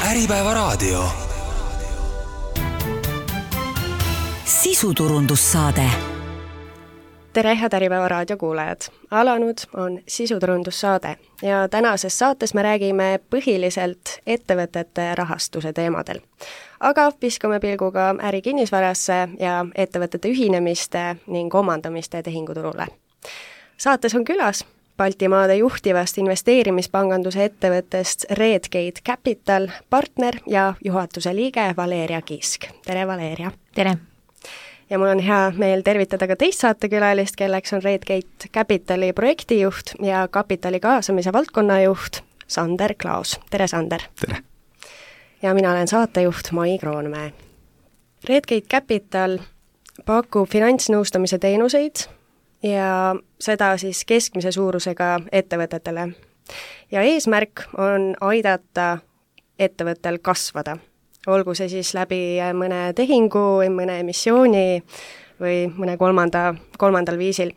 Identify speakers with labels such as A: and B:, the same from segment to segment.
A: Äripäevaraadio. Sisuturundussaade.
B: Tere, head Äripäevaraadio kuulajad! Alanud on sisuturundussaade ja tänases saates me räägime põhiliselt ettevõtete rahastuse teemadel. Aga viskame pilguga ärikinnisvarasse ja ettevõtete ühinemiste ning omandamiste tehinguturule. Saates on külas Baltimaade juhtivast investeerimispanganduse ettevõttest Redgate Capital partner ja juhatuse liige Valeria Kiisk. Tere, Valeria!
C: Tere!
B: Ja mul on hea meel tervitada ka teist saatekülalist, kelleks on Redgate Capitali projektijuht ja kapitali kaasamise valdkonnajuht Sander Klaus. Tere, Sander!
D: Tere!
B: Ja mina olen saatejuht Mai Kroonmäe. Redgate Capital pakub finantsnõustamise teenuseid ja seda siis keskmise suurusega ettevõtetele. Ja eesmärk on aidata ettevõttel kasvada. Olgu see siis läbi mõne tehingu või mõne emissiooni või mõne kolmandal viisil.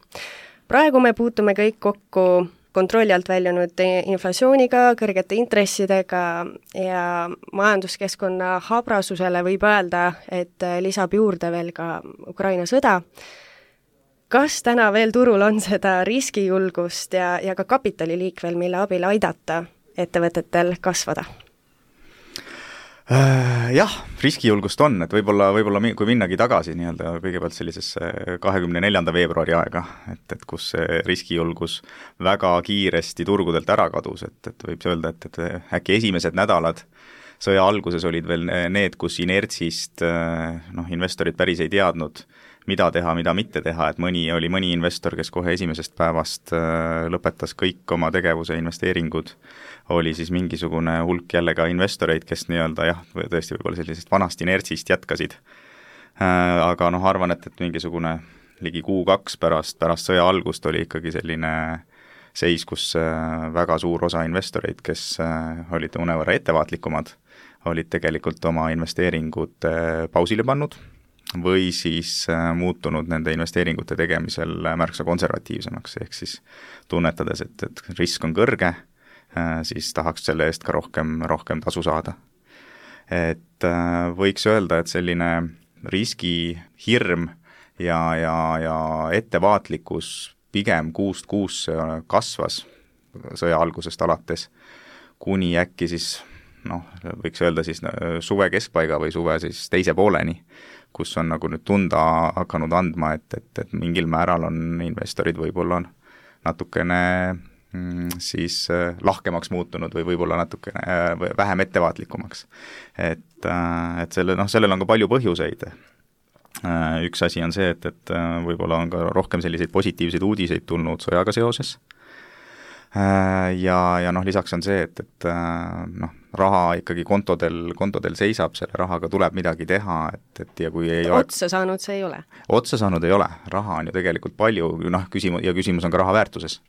B: Praegu me puutume kõik kokku kontrolli alt väljunud inflatsiooniga, kõrgete intressidega ja majanduskeskkonna habrasusele võib öelda, et lisab juurde veel ka Ukraina sõda. Kas täna veel turul on seda riskijulgust ja ka kapitaliliikvel, mille abil aidata ettevõtetel kasvada?
D: Jah, riskijulgust on, et võib-olla kui minnagi tagasi nii-öelda kõigepealt sellisesse 24. veebruari aega, et kus see riskijulgus väga kiiresti turgudelt ära kadus, et võib öelda, et äkki esimesed nädalad sõja alguses olid veel need, kus inertsist investorid päris ei teadnud, mida teha, mida mitte teha, et mõni investor, kes kohe esimesest päevast lõpetas kõik oma tegevuse investeeringud, oli siis mingisugune hulk jälle ka investoreid, kes nii-öelda tõesti võib-olla sellisest vanast inertsist jätkasid. Aga arvan, et mingisugune ligi kuu-kaks pärast sõja algust oli ikkagi selline seis, kus väga suur osa investoreid, kes olid mõnevõrra ettevaatlikumad, olid tegelikult oma investeeringud pausile pannud või siis muutunud nende investeeringute tegemisel märksa konservatiivsemaks, ehk siis tunnetades, et risk on kõrge, siis tahaks selle eest ka rohkem tasu saada. Et võiks öelda, et selline riskihirm ja ettevaatlikkus pigem kuust kuusse kasvas sõja algusest alates, kuni äkki siis, võiks öelda siis suve keskpaiga või suve siis teise pooleni, kus on nagu nüüd tunda hakanud andma, et mingil määral on investorid võib-olla natukene siis lahkemaks muutunud või võib-olla natukene vähem ettevaatlikumaks. Et sellel on ka palju põhjuseid. Üks asi on see, et võib-olla on ka rohkem selliseid positiivseid uudiseid tulnud sõjaga seoses. Ja lisaks on see, et raha ikkagi kontodel seisab, selle rahaga tuleb midagi teha, et ja kui ei ole...
B: Otsa saanud see ei ole?
D: Otsa saanud ei ole, raha on ju tegelikult palju, küsimus on ka raha väärtuses.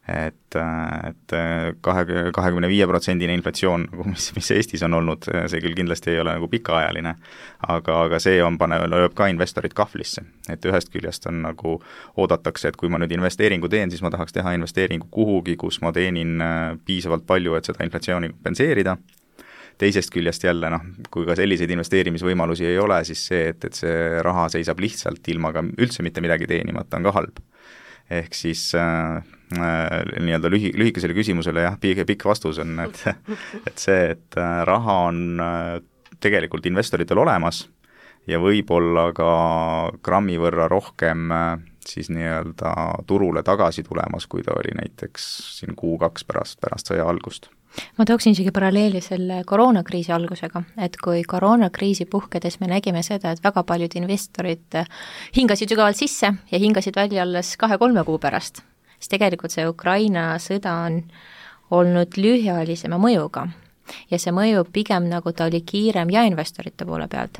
D: Et 25% inflatsioon, mis Eestis on olnud, see küll kindlasti ei ole nagu pikaajaline, aga see lööb ka investorid kahvlisse. Et ühest küljest on nagu oodatakse, et kui ma nüüd investeeringu teen, siis ma tahaks teha investeeringu kuhugi, kus ma teenin piisavalt palju, et seda inflatsiooni kompenseerida. Teisest küljest jälle, kui ka selliseid investeerimisvõimalusi ei ole, siis see, et see raha seisab lihtsalt ilma ka üldse mitte midagi teenimata, on ka halb. Ehk siis nii-öelda lühikesele küsimusele pikk vastus on, et see, et raha on tegelikult investoritel olemas ja võib-olla ka grammi võrra rohkem siis nii-öelda turule tagasi tulemas, kui ta oli näiteks siin kuu-kaks pärast sõja algust.
C: Ma tooksin isegi paralleeli selle koroonakriisi algusega, et kui koroonakriisi puhkedes me nägime seda, et väga paljud investorid hingasid sügavalt sisse ja hingasid välja alles 2-3 kuu pärast, siis tegelikult see Ukraina sõda on olnud lühiajalisema mõjuga ja see mõju pigem nagu ta oli kiirem ja investorite poole pealt.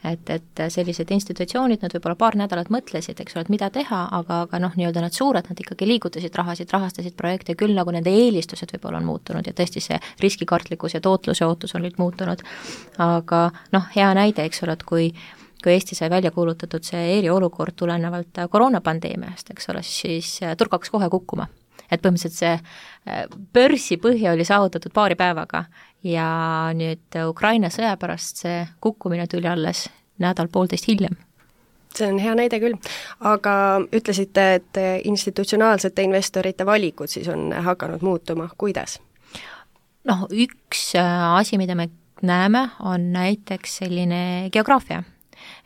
C: Et sellised institutsioonid, nad võib-olla paar nädalat mõtlesid, eks ole, et mida teha, aga nii-öelda nad suured, nad ikkagi liigutasid rahasid, rahastasid projekte, küll nagu nende eelistused võib-olla on muutunud ja tõesti see riskikartlikkus ja tootluse ootus on nüüd muutunud. Aga hea näide, eks ole, et kui Eesti sai välja kuulutatud see eriolukord tulenevalt koroonapandeemiast, eks ole, siis turg hakkas kohe kukkuma. et põhimõtteliselt see börsipõhja oli saavutatud paari päevaga ja nüüd Ukraina sõja pärast see kukkumine tuli alles nädal-poolteist hiljem.
B: See on hea näide küll, aga ütlesite, et institutsionaalsete investorite valikud siis on hakanud muutuma, kuidas?
C: Noh, üks asi, mida me näeme, on näiteks selline geograafia.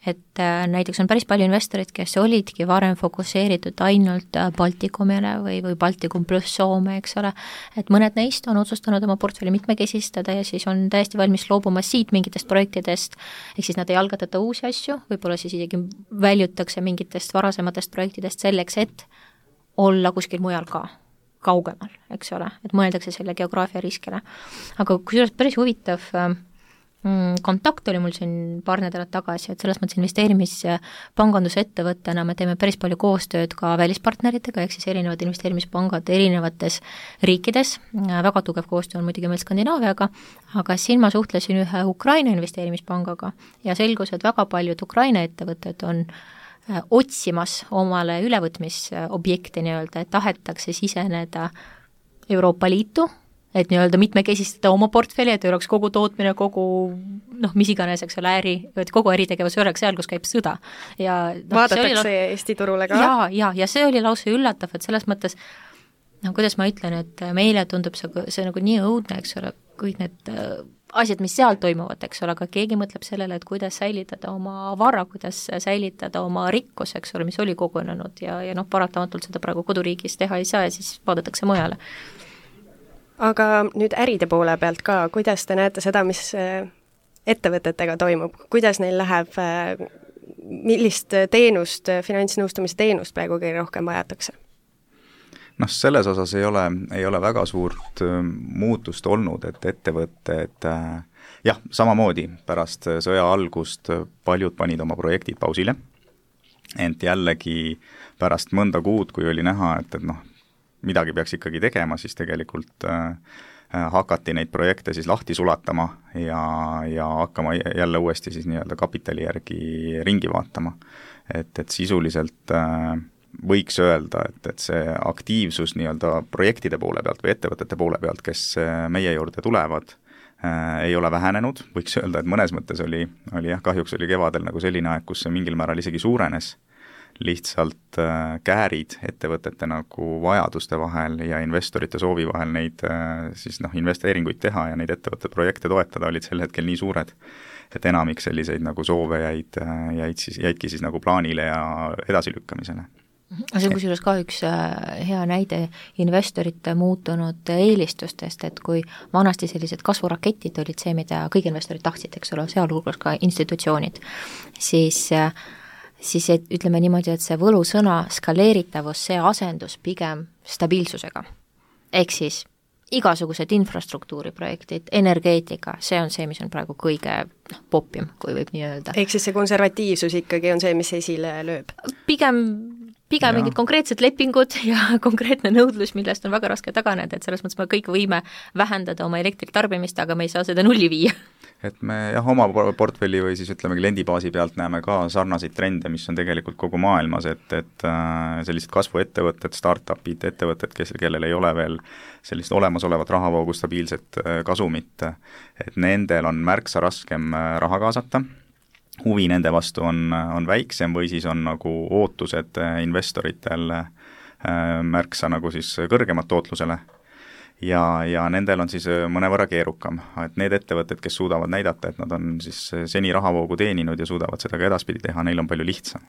C: Et näiteks on päris palju investorid, kes olidki varem fokusseeritud ainult Baltikumile või Baltikum pluss Soome, eks ole, et mõned neist on otsustanud oma portfelli mitmekesistada ja siis on täiesti valmis loobuma siit mingitest projektidest, ehk siis nad ei algatata uusi asju, võib-olla siis isegi väljutakse mingitest varasematest projektidest selleks, et olla kuskil mujal ka, kaugemal, eks ole, et mõeldakse selle geograafia riskile. Aga kusjuures päris huvitav kontakt oli mul siin paar nädalat tagasi, et selles mõttes investeerimispangandusettevõttena me teeme päris palju koostööd ka välispartneritega, ehk siis erinevad investeerimispangad erinevates riikides, väga tugev koostöö on muidugi meil Skandinaaviaga, aga siin ma suhtlesin ühe Ukraina investeerimispangaga ja selgus, et väga paljud Ukraina ettevõtted on otsimas omale ülevõtmisobjekti nii-öelda, et tahetakse siseneda Euroopa Liitu, et nii-öelda mitmekesistada oma portfelli, et ei oleks kogu tootmine, kogu mis iganes, eks ole, et kogu äritegevus ei oleks seal, kus käib sõda. Ja,
B: vaadatakse Eesti turule ka?
C: Ja see oli lausa üllatav, et selles mõttes, kuidas ma ütlen, et meile tundub see nagu nii õudne, eks ole, kõik need asjad, mis seal toimuvad, eks ole, aga keegi mõtleb sellele, et kuidas säilitada oma vara, kuidas säilitada oma rikkus, eks ole, mis oli kogunenud ja paratamatult seda praegu koduriigis teha ei saa ja siis vaadatakse mujale.
B: Aga nüüd äride poole pealt ka, kuidas te näete seda, mis ettevõtetega toimub, kuidas neil läheb, millist teenust, finantsnõustamise teenust praegu kõige rohkem vajatakse?
D: Selles osas ei ole väga suurt muutust olnud, et ettevõtted samamoodi pärast sõja algust paljud panid oma projektid pausile, ent jällegi pärast mõnda kuud, kui oli näha, et midagi peaks ikkagi tegema, siis tegelikult hakati neid projekte siis lahti sulatama ja hakkama jälle uuesti siis nii-öelda kapitali järgi ringi vaatama. Et sisuliselt võiks öelda, et see aktiivsus nii-öelda projektide poole pealt või ettevõtete poole pealt, kes meie juurde tulevad, ei ole vähenenud, võiks öelda, et mõnes mõttes oli kahjuks oli kevadel nagu selline aeg, kus see mingil määral isegi suurenes, lihtsalt käärid ettevõtete nagu vajaduste vahel ja investorite soovi vahel neid siis investeeringuid teha ja neid ettevõtte projekte toetada olid sel hetkel nii suured, et enamik selliseid nagu soove jäidki siis nagu plaanile ja edasilükkamisele.
C: See on kusjuures ka üks hea näide investorite muutunud eelistustest, et kui vanasti sellised kasvuraketid olid see, mida kõik investorid tahtsid, eks ole, sealhulgas ka institutsioonid, siis ütleme niimoodi, et see võlusõna skaleeritavus, see asendus pigem stabiilsusega. Ehk siis igasugused infrastruktuuriprojektid, energeetika, see on see, mis on praegu kõige popim, kui võib nii öelda.
B: Ehk siis see konservatiivsus ikkagi on see, mis esile lööb?
C: Pigem mingid konkreetsed lepingud ja konkreetne nõudlus, millest on väga raske taganeda, et selles mõttes me kõik võime vähendada oma elektritarbimist, aga me ei saa seda nulli viia.
D: Et me oma portfelli või siis ütleme kliendibaasi pealt näeme ka sarnaseid trende, mis on tegelikult kogu maailmas, et sellised kasvuettevõtted, startupid, ettevõtted, kellel ei ole veel sellist olemasolevat rahavoogu stabiilset kasumit, et nendel on märksa raskem raha kaasata, huvi nende vastu on väiksem või siis on nagu ootused investoritel märksa nagu siis kõrgemat tootlusele ja nendel on siis mõnevõrra keerukam, et need ettevõtted, kes suudavad näidata, et nad on siis seni rahavoogu teeninud ja suudavad seda ka edaspidi teha, neil on palju lihtsam.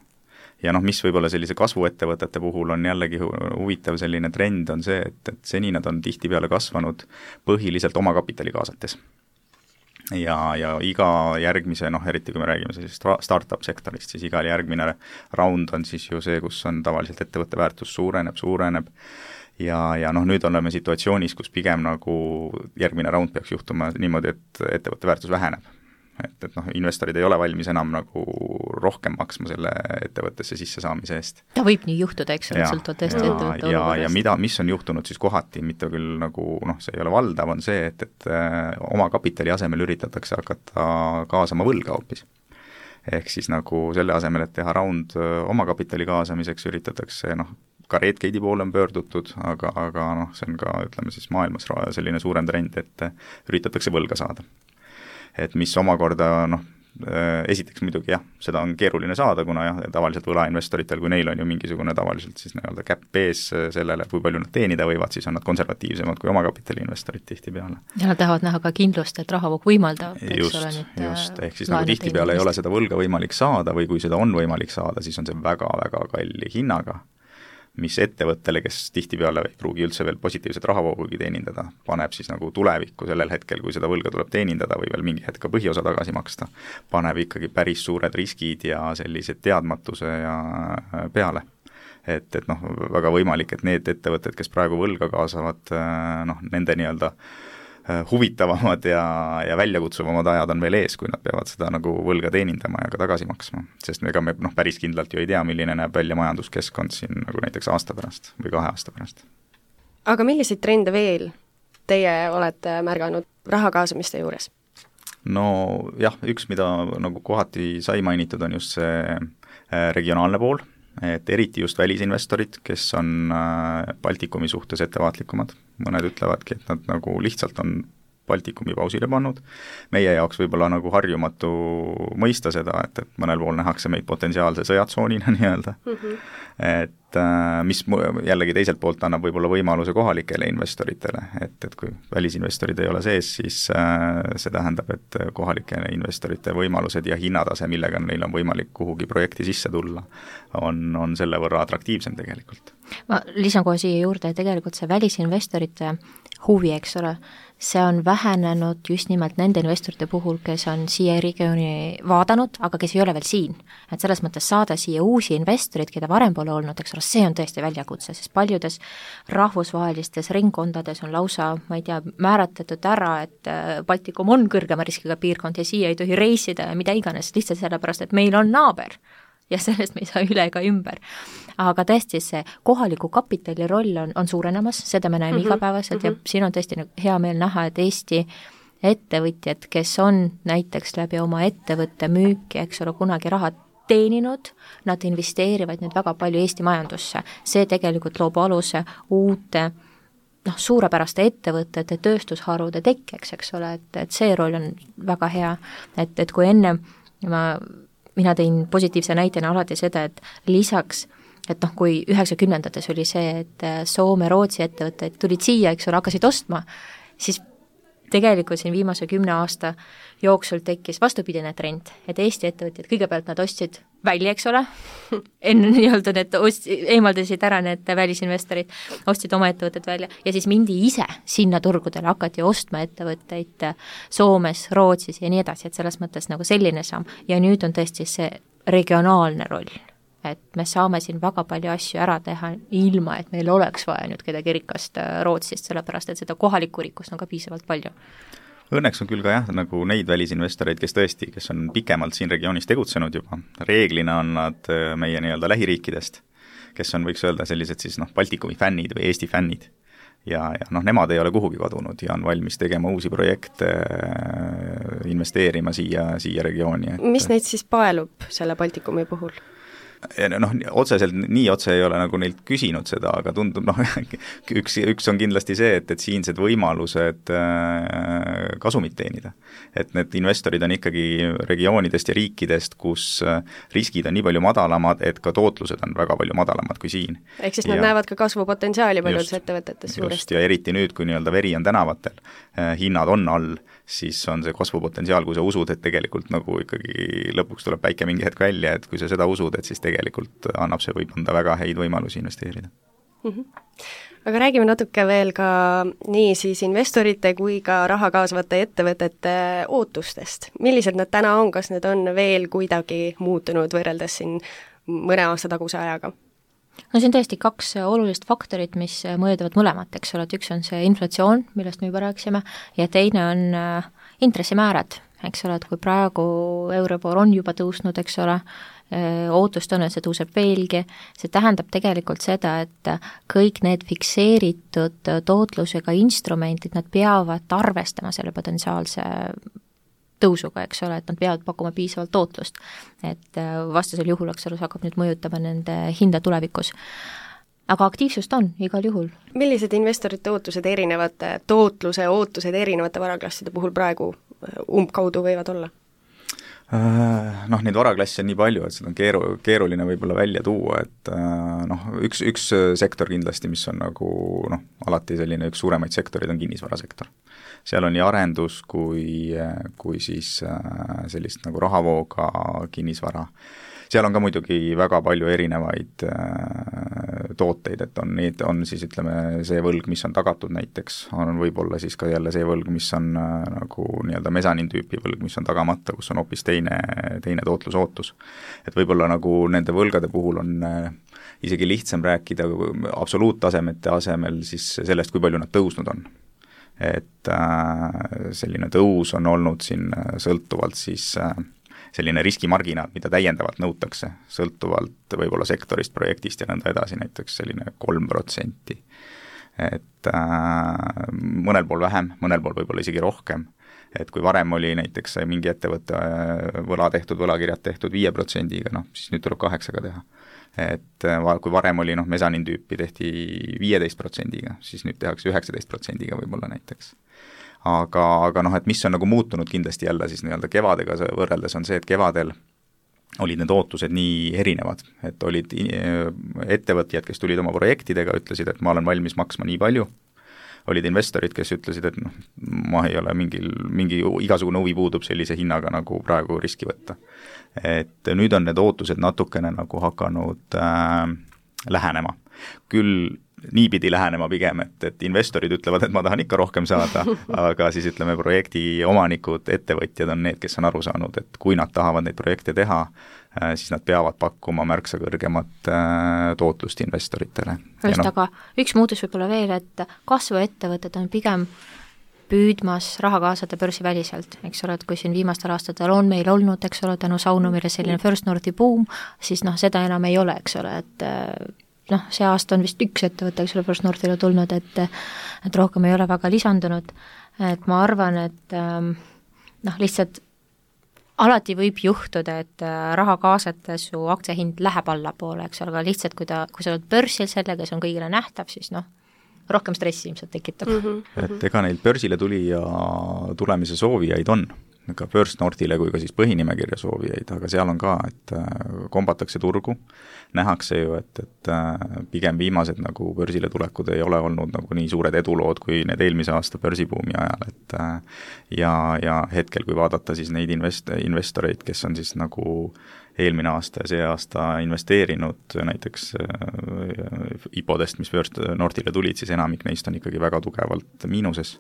D: Ja mis võib-olla sellise kasvuettevõtete puhul on jällegi huvitav selline trend on see, et seni nad on tihtipeale kasvanud põhiliselt oma kapitali kaasates. Ja iga järgmise, eriti kui me räägime sellisest startup sektorist, siis iga järgmine round on siis ju see, kus on tavaliselt ettevõtte väärtus suureneb ja nüüd oleme situatsioonis, kus pigem nagu järgmine round peaks juhtuma niimoodi, et ettevõtte väärtus väheneb. Et investorid ei ole valmis enam nagu rohkem maksma selle ettevõttesse sisse saamise eest.
C: Ta võib nii juhtuda, eks ole, sõltuvalt tõesti ettevõtte olukorrast.
D: Ja mis on juhtunud siis kohati, mitte küll nagu, see ei ole valdav, on see, et oma kapitali asemel üritatakse hakata kaasama võlga hoopis. Ehk siis nagu selle asemel, et teha round oma kapitali kaasamiseks, üritatakse ka Redgate'i poole on pöördutud, aga noh, see on ka, ütleme siis maailmas selline suurem trend, et üritatakse võlga saada. Et mis omakorda noh, esiteks muidugi jah, seda on keeruline saada, kuna jah, tavaliselt võlainvestoritel, kui neil on ju mingisugune tavaliselt siis nii-öelda käpp ees sellele, kui palju nad teenida võivad, siis on nad konservatiivsemad kui omakapitali investorid tihtipeale.
C: Ja nad tahavad näha ka kindlust, et rahavoog võimaldab,
D: just, ehk siis nagu tihtipeale ei ole seda võlga võimalik saada või kui seda on võimalik saada, siis on see väga-väga kalli hinnaga, mis ettevõttele, kes tihtipeale ei pruugi üldse veel positiivset rahavoogugi teenindada, paneb siis nagu tulevikku sellel hetkel, kui seda võlga tuleb teenindada või veel mingi hetk ka põhiosa tagasi maksta, paneb ikkagi päris suured riskid ja sellised teadmatuse ja peale. Et noh, väga võimalik, et need ettevõtted, kes praegu võlga kaasavad, noh, nende nii-öelda huvitavamad ja väljakutsuvamad ajad on veel ees, kui nad peavad seda nagu võlga teenindama ja ka tagasi maksma. Sest ega me noh, päris kindlalt ju ei tea, milline näeb välja majanduskeskkond siin nagu näiteks aasta pärast või 2 aasta pärast.
B: Aga milliseid trende veel teie olete märganud raha kaasamiste juures?
D: No jah, üks, mida nagu kohati sai mainitud, on just see regionaalne pool, et eriti just välisinvestorid, kes on Baltikumi suhtes ettevaatlikumad. Mõned ütlevadki, et nad nagu lihtsalt on Baltikumi pausile pannud. Meie jaoks võib-olla nagu harjumatu mõista seda, et mõnel pool nähakse meid potentsiaalse sõjatsoonina nii-öelda. Et mis jällegi teiselt poolt annab võib-olla võimaluse kohalikele investoritele, et kui välisinvestorid ei ole sees, siis see tähendab, et kohalikele investorite võimalused ja hinnatase, millega neil on võimalik kuhugi projekti sisse tulla, on selle võrra atraktiivsem tegelikult.
C: Ma lisan kohe siia juurde, et tegelikult see välisinvestorite huvi, eks ole, see on vähenenud just nimelt nende investorite puhul, kes on siia regiooni vaadanud, aga kes ei ole veel siin. Et selles mõttes saada siia uusi investorid, keda varem pole olnud, eks ole, see on tõesti väljakutse, sest paljudes rahvusvahelistes ringkondades on lausa, ma ei tea, määratletud ära, et Baltikum on kõrgema riskiga piirkond ja siia ei tohi reisida ja mida iganes, lihtsalt sellepärast, et meil on naaber ja sellest me ei saa üle ega ümber. Aga tõesti see kohaliku kapitali roll on suurenemas, seda me näeme igapäevaselt ja siin on tõesti hea meel näha, et Eesti ettevõtjad, kes on näiteks läbi oma ettevõtte müüki, eks ole, kunagi raha teeninud, nad investeerivad nüüd väga palju Eesti majandusse. See tegelikult loob aluse uute suurepäraste ettevõtete, tööstusharude tekkeks, eks ole, et see roll on väga hea, et kui enne mina tõin positiivse näitena alati seda, et lisaks, et kui 90-ndates oli see, et Soome, Rootsi ettevõtted tulid siia, eks ole, hakkasid ostma, siis tegelikult siin viimase 10 aasta jooksul tekkis vastupidine trend, et Eesti ettevõtjad, kõigepealt nad ostsid välja, eks ole, enne nii-öelda need eemaldasid ära need välisinvestorid, ostsid oma ettevõtted välja ja siis mindi ise sinna turgudele, hakati ostma ettevõtteid Soomes, Rootsis ja nii edasi, et selles mõttes nagu selline samm ja nüüd on tõesti see regionaalne roll, et me saame siin väga palju asju ära teha ilma, et meil oleks vaja nüüd kedagi rikast Rootsist, sellepärast et seda kohalikku rikkust on ka piisavalt palju.
D: Õnneks on küll ka jah, nagu neid välisinvestoreid, kes on pikemalt siin regioonis tegutsenud juba, reeglina on nad meie nii-öelda lähiriikidest, kes on, võiks öelda, sellised siis Baltikumi fännid või Eesti fännid. Ja nemad ei ole kuhugi kadunud ja on valmis tegema uusi projekte, investeerima siia regiooni.
B: Mis neid siis paelub selle Baltikumi puhul?
D: Otseselt nii otse ei ole nagu neilt küsinud seda, aga tundub, üks on kindlasti see, et siinsed võimalused kasumit teenida. Et need investorid on ikkagi regioonidest ja riikidest, kus riskid on nii palju madalamad, et ka tootlused on väga palju madalamad kui siin.
B: Ehk siis nad näevad ka kasvupotentsiaali paljudes ettevõtetes suuresti.
D: Ja eriti nüüd, kui nii-öelda veri on tänavatel, hinnad on all, siis on see kasvupotentsiaal, kui sa usud, et tegelikult nagu ikkagi lõpuks tuleb päike mingi hetk välja, et kui sa seda usud, et siis tegelikult annab see võib anda väga häid võimalusi investeerida.
B: Aga räägime natuke veel ka nii siis investorite kui ka raha kaasvate ettevõtete ootustest. Millised nad täna on, kas need on veel kuidagi muutunud võrreldes siin mõne aasta taguse ajaga?
C: No see on tõesti 2 olulist faktorit, mis mõjutavad mõlemat, eks ole, et üks on see inflatsioon, millest me juba rääkisime, ja teine on intressimäärad, eks ole, et kui praegu Euribor on juba tõusnud, eks ole, ootust on, et see tõuseb veelgi, see tähendab tegelikult seda, et kõik need fikseeritud tootlusega instrumendid, nad peavad arvestama selle potentsiaalse tõusuga, eks ole, et nad peavad pakkuma piisavalt tootlust, et vastasel juhul, eks ole, see hakkab nüüd mõjutama nende hinda tulevikus. aga aktiivsust on igal juhul.
B: Millised investorite ootused tootluse ootused erinevate varaklasside puhul praegu umbkaudu võivad olla?
D: Neid varaklasse on nii palju, et seda on keeruline võib-olla välja tuua, et üks sektor kindlasti, mis on nagu alati selline üks suuremaid sektorid on kinnisvarasektor. Seal on nii arendus kui siis sellist nagu rahavooga kinnisvara. Seal on ka muidugi väga palju erinevaid tooteid, et on siis ütleme see võlg, mis on tagatud näiteks, on võib-olla siis ka jälle see võlg, mis on nagu nii-öelda mesanin tüüpi võlg, mis on tagamata, kus on hoopis teine tootlusootus. Et võib-olla nagu nende võlgade puhul on isegi lihtsam rääkida absoluuttasemete asemel siis sellest, kui palju nad tõusnud on. Et selline tõus on olnud siin sõltuvalt siis selline riskimarginaal, mida täiendavalt nõutakse, sõltuvalt võib-olla sektorist, projektist ja nõnda edasi, näiteks selline 3%. Et mõnel pool vähem, mõnel pool võib-olla isegi rohkem. Et kui varem oli näiteks mingi ettevõtte võlakirjad tehtud 5%-ga, siis nüüd tuleb 8%-ga teha. Et kui varem oli mesanin tüüpi tehti 15%-ga, siis nüüd tehakse 19%-ga võib-olla näiteks. Aga et mis on nagu muutunud kindlasti jälle siis nii-öelda kevadega võrreldes on see, et kevadel olid need ootused nii erinevad, et olid ettevõtjad, kes tulid oma projektidega, ütlesid, et ma olen valmis maksma nii palju, olid investorid, kes ütlesid, et ma ei ole mingi igasugune huvi puudub sellise hinnaga nagu praegu riski võtta. Et nüüd on need ootused natukene nagu hakanud lähenema. Küll niipidi lähenema pigem, et investorid ütlevad, et ma tahan ikka rohkem saada, aga siis ütleme projekti omanikud, ettevõtjad on need, kes on aru saanud, et kui nad tahavad neid projekte teha, siis nad peavad pakkuma märksa kõrgemat tootlust investoritele.
C: Aga üks muutus võib-olla veel, et kasvuettevõtted on pigem püüdmas raha kaasata börsiväliselt, eks ole, et kui siin viimastel aastatel on meil olnud, eks ole, tänu Saunumile selline First Northi boom, siis seda enam ei ole, eks ole, et see aasta on vist üks ettevõte, eks ole, First Northile tulnud, et rohkem ei ole väga lisandunud, et ma arvan, et lihtsalt alati võib juhtuda, et raha kaasates su aktsiahind läheb allapoole, eks ole, aga lihtsalt kui sa oled börsil sellega, see on kõigile nähtav, siis rohkem stressi ilmselt tekitab.
D: Et ega neil börsile tulemise soovijaid on, ka First Northile kui ka siis põhinimekirja soovijaid, aga seal on ka, et kombatakse turgu, nähakse ju, et pigem viimased nagu börsile tulekud ei ole olnud nagu nii suured edulood kui need eelmise aasta börsibuumi ajal, et ja hetkel, kui vaadata siis neid investoreid, kes on siis nagu eelmine aasta ja see aasta investeerinud näiteks IPO-dest, mis First Northile tulid, siis enamik neist on ikkagi väga tugevalt miinuses.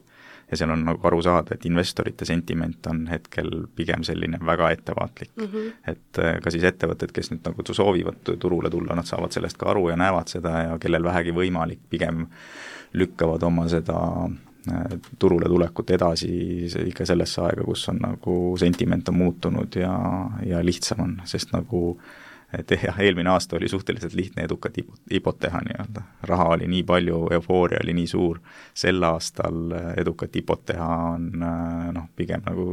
D: Ja seal on nagu aru saada, et investorite sentiment on hetkel pigem selline väga ettevaatlik. Et ka siis ettevõtted, kes nüüd nagu soovivad turule tulla, nad saavad sellest ka aru ja näevad seda ja kellel vähegi võimalik, pigem lükkavad oma seda turule tulekut edasi ikka sellesse aega, kus on nagu sentiment on muutunud ja lihtsam on, sest nagu et eelmine aasta oli suhteliselt lihtne edukat IPO-t teha nii-öelda. Raha oli nii palju, eufooria oli nii suur, sel aastal edukat IPO-t teha on pigem nagu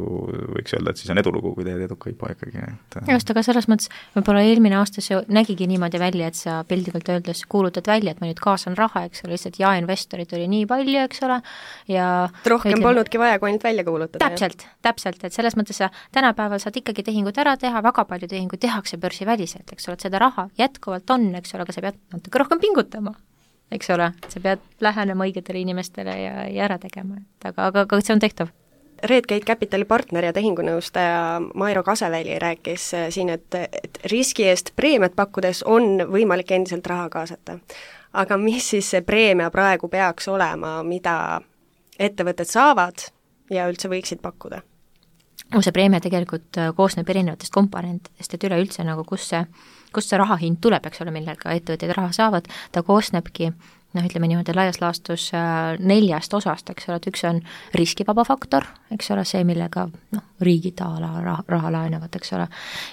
D: võiks öelda, et siis on edulugu, kui teed eduka IPO ikkagi.
C: Just, aga selles mõttes võib-olla eelmine aasta see nägigi niimoodi välja, et sa pildikult öeldes kuulutad välja, et ma nüüd kaasan raha, eks ole, lihtsalt investorid oli nii palju, eks ole, ja
B: rohkem polnudki vaja, kui ainult välja kuulutada.
C: Täpselt, et selles mõttes sa tänapäeval saad ikkagi tehingut ära teha, väga palju tehingut tehakse börsi väliselt, eks ole, et seda raha jätkuvalt on, eks ole, aga sa pead natuke rohkem pingutama, eks ole, sa pead lähenema õigetele inimestele ja ära tegema, aga see on tehtav.
B: Redgate Capitali partner ja tehingunõustaja Mairo Kaseväli rääkis siin, et riski eest preemiat pakkudes on võimalik endiselt raha kaasata. Aga mis siis see preemia praegu peaks olema, mida ettevõtted saavad ja üldse võiksid pakkuda?
C: See preemia tegelikult koosneb erinevatest komponentidest, et üleüldse nagu kus see rahahind tuleb, eks ole, millega ettevõtjad raha saavad, ta koosnebki ütleme niimoodi laias laastus 4 osast, eks ole, et üks on riskivaba faktor, eks ole, see, millega riigid raha laenavad, eks ole,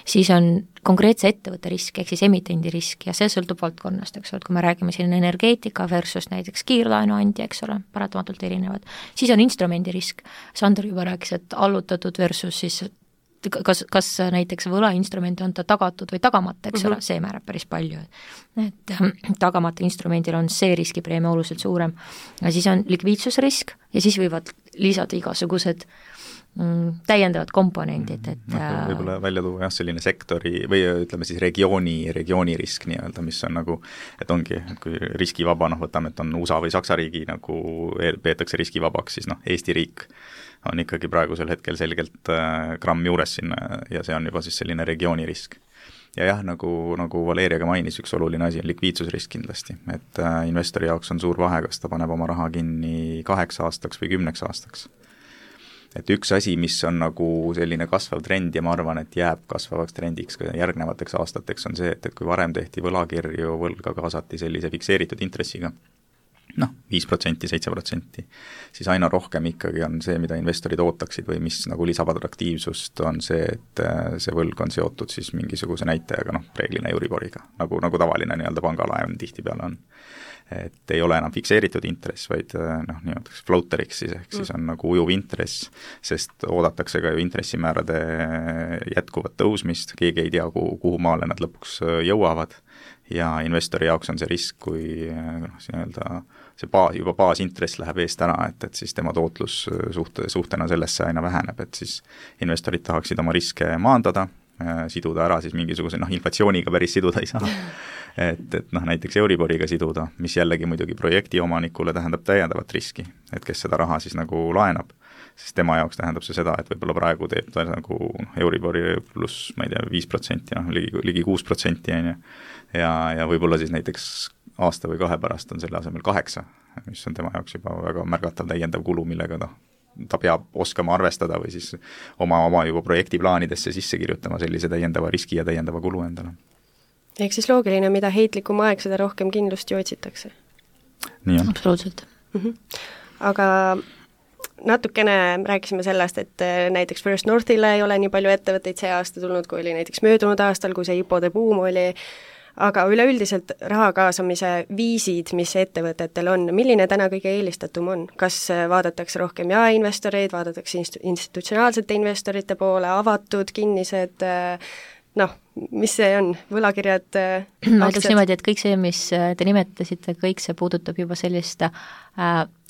C: siis on konkreetse ettevõtte risk, ehk siis emitendi risk ja see sõltub valdkonnast, eks ole, et kui me räägime siin energeetika versus näiteks kiirlaenuandja, eks ole, paratamatult erinevad, siis on instrumendi risk, Sander juba rääkis, et allutatud versus siis kas näiteks võlainstrument on ta tagatud või tagamata, eks ole, see määrab päris palju. Et tagamata instrumendil on see riskipreemia oluliselt suurem. Ja siis on likviidsusrisk ja siis võivad lisada igasugused täiendavad komponendid, et
D: võib-olla välja tuua jah, selline sektori või ütleme siis regiooni risk nii-öelda, mis on nagu, et ongi, et kui riskivaba, võtame, et on USA või Saksa riigi nagu peetakse riskivabaks, siis Eesti riik on ikkagi praegusel hetkel selgelt gramm juures sinna ja see on juba siis selline regiooni risk. Ja jah, nagu Valeria ka mainis, üks oluline asi on likviidsusrisk kindlasti, et investori jaoks on suur vahe, kas ta paneb oma raha kinni 8 aastaks või 10 aastaks. Et üks asi, mis on nagu selline kasvav trend ja ma arvan, et jääb kasvavaks trendiks ka järgnevateks aastateks, on see, et kui varem tehti võlakirju, võlga kaasati sellise fikseeritud intressiga, 5%, 7%, siis aina rohkem ikkagi on see, mida investorid ootaksid või mis nagu lisab atraktiivsust, on see, et see võlg on seotud siis mingisuguse näitajaga, reeglina Euriboriga, nagu tavaline nii-öelda pangalaen tihtipeale on. Et ei ole enam fikseeritud intress, vaid niimoodi floateriks siis, ehk siis on nagu ujuv intress, sest oodatakse ka ju intressimäärade jätkuvat tõusmist, keegi ei tea, kuhu maale nad lõpuks jõuavad ja investori jaoks on see risk, kui see baasintress läheb eest ära, et siis tema tootlus suhtena sellesse aina väheneb, et siis investorid tahaksid oma riske maandada, siduda ära siis mingisuguse, inflatsiooniga päris siduda ei saa, et näiteks Euriboriga siduda, mis jällegi muidugi projekti omanikule tähendab täiendavat riski, et kes seda raha siis nagu laenab, sest tema jaoks tähendab see seda, et võib-olla praegu teeb ta nagu Euribori pluss, ma ei tea, 5%, ligi 6%, ja võib-olla siis näiteks aasta või 2 pärast on selle asemel 8, mis on tema jaoks juba väga märgatav täiendav kulu, millega ta peab oskama arvestada või siis oma juba projektiplaanidesse sisse kirjutama sellise täiendava riski ja täiendava kulu endale.
B: Ehk siis loogiline, mida heitlikum aeg, seda rohkem kindlust ju otsitakse.
D: Nii on.
C: Absoluutselt.
B: Aga natukene rääkisime sellest, et näiteks First Northile ei ole nii palju ettevõtteid see aasta tulnud, kui oli näiteks möödunud aastal, kui see IPO-de buum oli, aga üleüldiselt raha kaasamise viisid, mis ettevõtetel on, milline täna kõige eelistatum on? Kas vaadatakse rohkem jaeinvestoreid, vaadatakse institutsionaalsete investorite poole, avatud, kinnised, mis see on, võlakirjad,
C: ma ütleks niimoodi, et kõik see, mis te nimetasite, kõik see puudutab juba sellist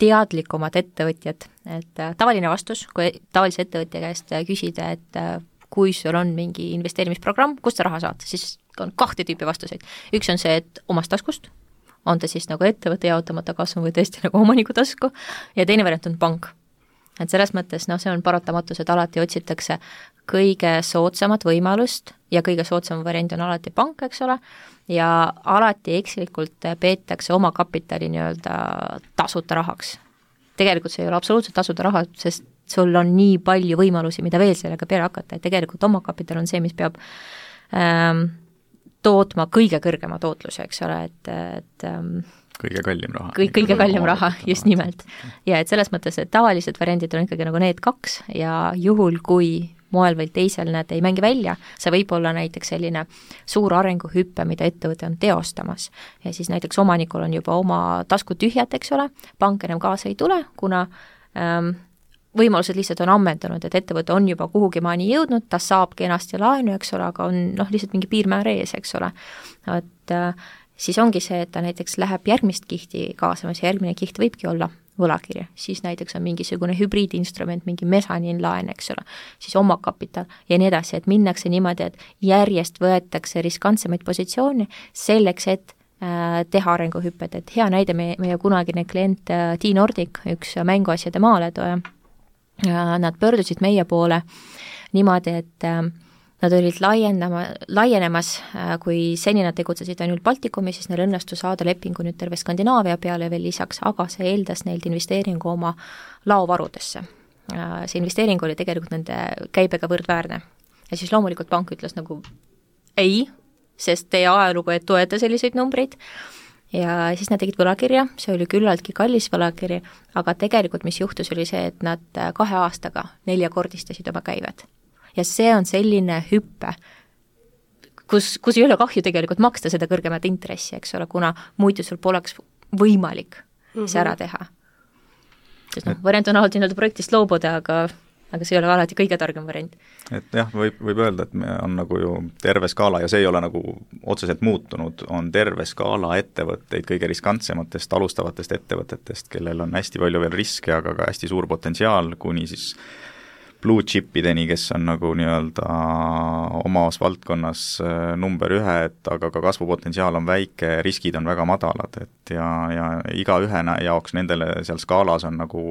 C: teadlikumat ettevõtjat, et tavaline vastus, kui tavalise ettevõtja käest küsida, et kui sul on mingi investeerimisprogramm, kust sa raha saad, siis on 2 tüüpi vastuseid. Üks on see, et omast taskust, on ta siis nagu ettevõtte jaotamata kasvu või tõesti nagu omaniku tasku, ja teine variant on pank. Et selles mõttes, see on paratamatus, et alati otsitakse kõige soodsamat võimalust ja kõige soodsam variant on alati pank, eks ole, ja alati ekslikult peetakse oma kapitali nii-öelda tasuta rahaks. Tegelikult see ei ole absoluutselt tasuta raha, sest sul on nii palju võimalusi, mida veel sellega peale hakata, et tegelikult oma kapital on see, mis peab tootma kõige kõrgema tootluse, eks ole, et
D: kõige kallim raha.
C: Kõige kallim raha, just nimelt. Ja et selles mõttes, et tavalised variandid on ikkagi nagu need 2 ja juhul, kui moel või teisel need ei mängi välja, see võib olla näiteks selline suur arenguhüppe, mida ettevõte on teostamas. Ja siis näiteks omanikul on juba oma tasku tühjad, eks ole, pank enam kaasa ei tule, kuna võimalused lihtsalt on ammendunud, et ettevõte on juba kuhugi maani jõudnud, ta saab kenasti laenu, eks ole, aga on lihtsalt mingi piirmäär ees, eks ole. Et siis ongi see, et ta näiteks läheb järgmist kihti kaasamas ja järgmine kiht võibki olla võlakirja, siis näiteks on mingisugune hübriidinstrument, mingi mesaniinlaen, eks ole, siis omakapital ja nii edasi, et minnakse niimoodi, et järjest võetakse riskantsemaid positsioone selleks, et teha arenguhüpped, et hea näide meie kunagine klient T-Nordic, üks mänguasjade maaletooja, nad pöördusid meie poole niimoodi, et nad olid laienemas, kui seni nad tegutsesid ainult Baltikumi, siis neil õnnestus saada lepingu nüüd terve Skandinaavia peale veel lisaks, aga see eeldas neilt investeeringu oma laovarudesse. See investeering oli tegelikult nende käibega võrdväärne. Ja siis loomulikult pank ütles nagu ei, sest teie ajalugu ei toeta selliseid numbreid. Ja siis nad tegid võlakirja, see oli küllaltki kallis võlakiri, aga tegelikult mis juhtus oli see, et nad 2 aastaga 4-kordistasid oma käivet. Ja see on selline hüppe, kus ei ole kahju tegelikult maksta seda kõrgemat intressi, eks ole, kuna muidu sul poleks võimalik see ära teha. Sest variant on alati projektist loobuda, aga aga see ei ole alati kõige targem variant.
D: Et jah, võib öelda, et me on nagu ju terve skaala ja see ei ole nagu otseselt muutunud, on terve skaala ettevõtteid kõige riskantsematest alustavatest ettevõtetest, kellel on hästi palju veel riske, aga ka hästi suur potentsiaal, kuni siis blue chipideni, kes on nagu nii-öelda omas valdkonnas number 1, aga ka kasvupotentsiaal on väike, riskid on väga madalad, et ja iga ühe jaoks nendele seal skaalas on nagu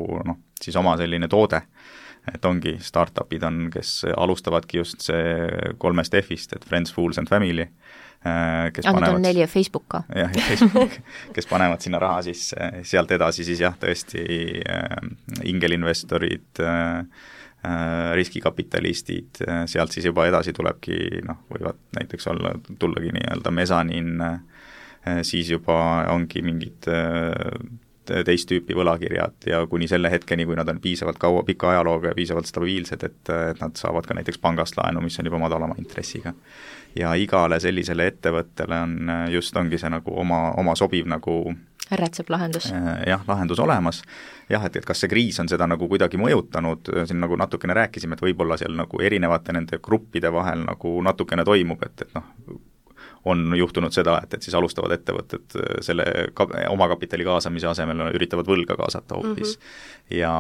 D: siis oma selline toode, et ongi startupid on, kes alustavadki just see 3 F-ist, et Friends, Fools and Family, kes
C: panevad... on 4 Facebook ka.
D: Jah, ja Facebook, kes panevad sinna raha sisse, sealt edasi siis jah, tõesti ingelinvestorid, riskikapitalistid, sealt siis juba edasi tulebki, võivad näiteks tullagi nii-öelda mesanin, siis juba ongi mingid teist tüüpi võlakirjad ja kuni selle hetkeni, kui nad on piisavalt pika ajalooga ja piisavalt stabiilsed, et nad saavad ka näiteks pangast laenu, mis on juba madalama intressiga. Ja igale sellisele ettevõttele on ongi see nagu oma sobiv nagu
C: rätseb lahendus.
D: Jah, lahendus olemas. Jah, et kas see kriis on seda nagu kuidagi mõjutanud, siin nagu natukene rääkisime, et võib-olla seal nagu erinevate nende gruppide vahel nagu natukene toimub, et on juhtunud seda, et siis alustavad ettevõtted selle omakapitali kaasamise asemel üritavad võlga kaasata hoopis. Ja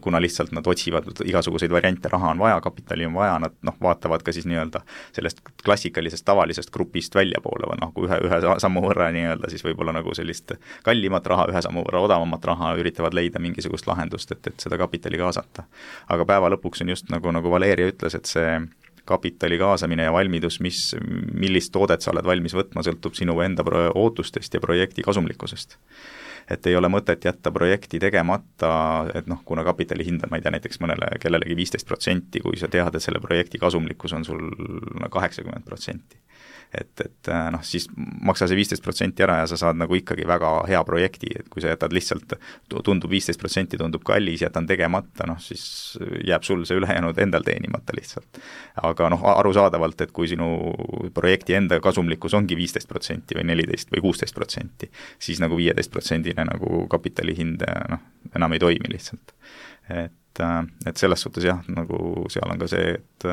D: kuna lihtsalt nad otsivad igasuguseid variante, raha on vaja, kapitali on vaja, nad vaatavad ka siis nii-öelda sellest klassikalisest tavalisest grupist väljapoole või kui ühe sammu võrra nii-öelda siis võib-olla nagu sellist kallimat raha, ühe sammu võrra odavamat raha üritavad leida mingisugust lahendust, et seda kapitali kaasata. Aga päeva lõpuks on just nagu Valeria ütles, et see kapitali kaasamine ja valmidus, millist toodet sa oled valmis võtma, sõltub sinu enda ootustest ja projekti kasumlikkusest. Et ei ole mõtet jätta projekti tegemata, et kuna kapitali hind on, ma ei tea, näiteks kellelegi 15%, kui sa tead, et selle projekti kasumlikkus on sul 80%. Et siis maksa see 15% ära ja sa saad nagu ikkagi väga hea projekti, et kui sa jätad lihtsalt, tundub 15% tundub kallis, jätan tegemata, siis jääb sul see ülejäänud endal teenimata lihtsalt. Aga arusaadavalt, et kui sinu projekti enda kasumlikkus ongi 15% või 14% või 16%, siis nagu 15% nagu kapitali hind enam ei toimi lihtsalt. Et selles suhtes jah, nagu seal on ka see, et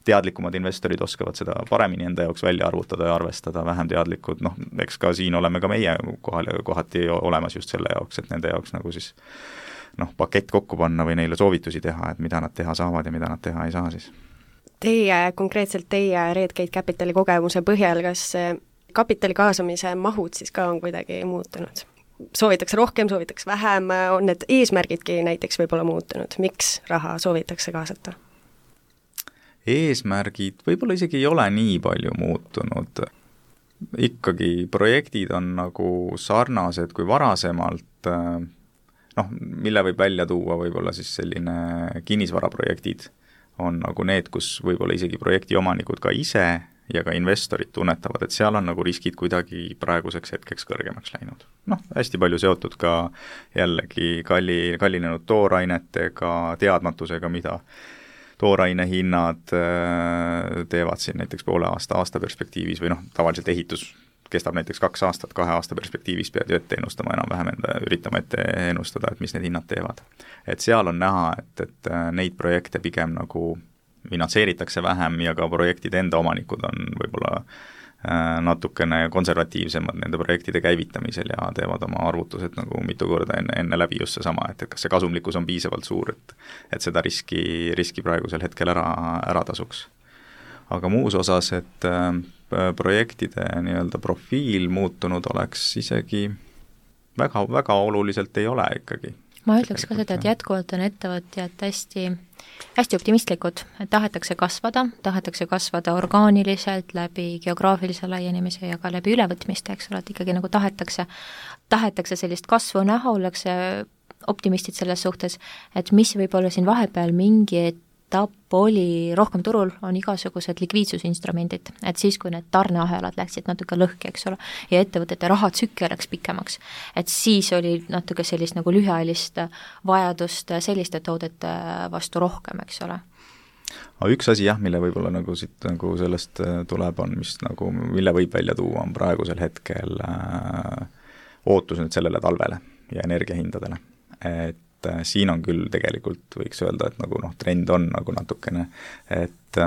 D: teadlikumad investorid oskavad seda paremini enda jaoks välja arvutada ja arvestada, vähem teadlikud, eks ka siin oleme ka meie kohati olemas just selle jaoks, et nende jaoks nagu siis pakett kokku panna või neile soovitusi teha, et mida nad teha saavad ja mida nad teha ei saa siis.
B: Konkreetselt teie Redgate Capitali kogemuse põhjal, kas kapitali kaasamise mahud siis ka on kuidagi muutunud? Soovitakse rohkem, soovitakse vähem, on need eesmärgidki näiteks võib-olla muutunud, miks raha soovitakse kaasata?
D: Eesmärgid võib-olla isegi ei ole nii palju muutunud. Ikkagi projektid on nagu sarnased kui varasemalt, mille võib välja tuua võib-olla siis selline kinnisvaraprojektid on nagu need, kus võib-olla isegi projekti omanikud ka ise ja ka investorid tunnetavad, et seal on nagu riskid kuidagi praeguseks hetkeks kõrgemaks läinud. Hästi palju seotud ka jällegi kallinenud toorainetega, teadmatusega, mida tooraine hinnad teevad siin näiteks poole aasta perspektiivis või tavaliselt ehitus kestab näiteks 2 aastat, 2 aasta perspektiivis pead ju ette ennustama enam-vähem üritama ette ennustada, et mis need hinnad teevad. Et seal on näha, et neid projekte pigem nagu finantseeritakse vähem ja ka projektide enda omanikud on võib-olla natukene konservatiivsemad nende projektide käivitamisel ja teevad oma arvutused nagu mitu korda enne läbi just seesama, et kas see kasumlikkus on piisavalt suur, et seda riski praegusel hetkel ära tasuks. Aga muus osas, et projektide nii-öelda profiil muutunud oleks isegi väga, väga oluliselt ei ole ikkagi.
C: Ma ütleks ka seda, et jätkuvalt on ettevõtjad hästi optimistlikud, et tahetakse kasvada orgaaniliselt läbi geograafilise laienemise ja ka läbi ülevõtmiste, eks ole, et ikkagi nagu tahetakse sellist kasvu näha, ollakse optimistid selles suhtes, et mis võib-olla siin vahepeal mingi etapp oli rohkem turul, on igasugused likviidsusinstrumendid, et siis, kui need tarneahelad läksid natuke lõhki, eks ole, ja ettevõtete rahatsükkel läks pikemaks, et siis oli natuke sellist nagu lühiajalist vajadust selliste toodete vastu rohkem, eks ole.
D: Aga üks asi jah, mille võib-olla nagu siit nagu sellest tuleb, on mis nagu, mille võib välja tuua, on praegusel hetkel ootus nüüd sellele talvele ja energiahindadele. Et et siin on küll tegelikult võiks öelda, et nagu trend on nagu natukene, et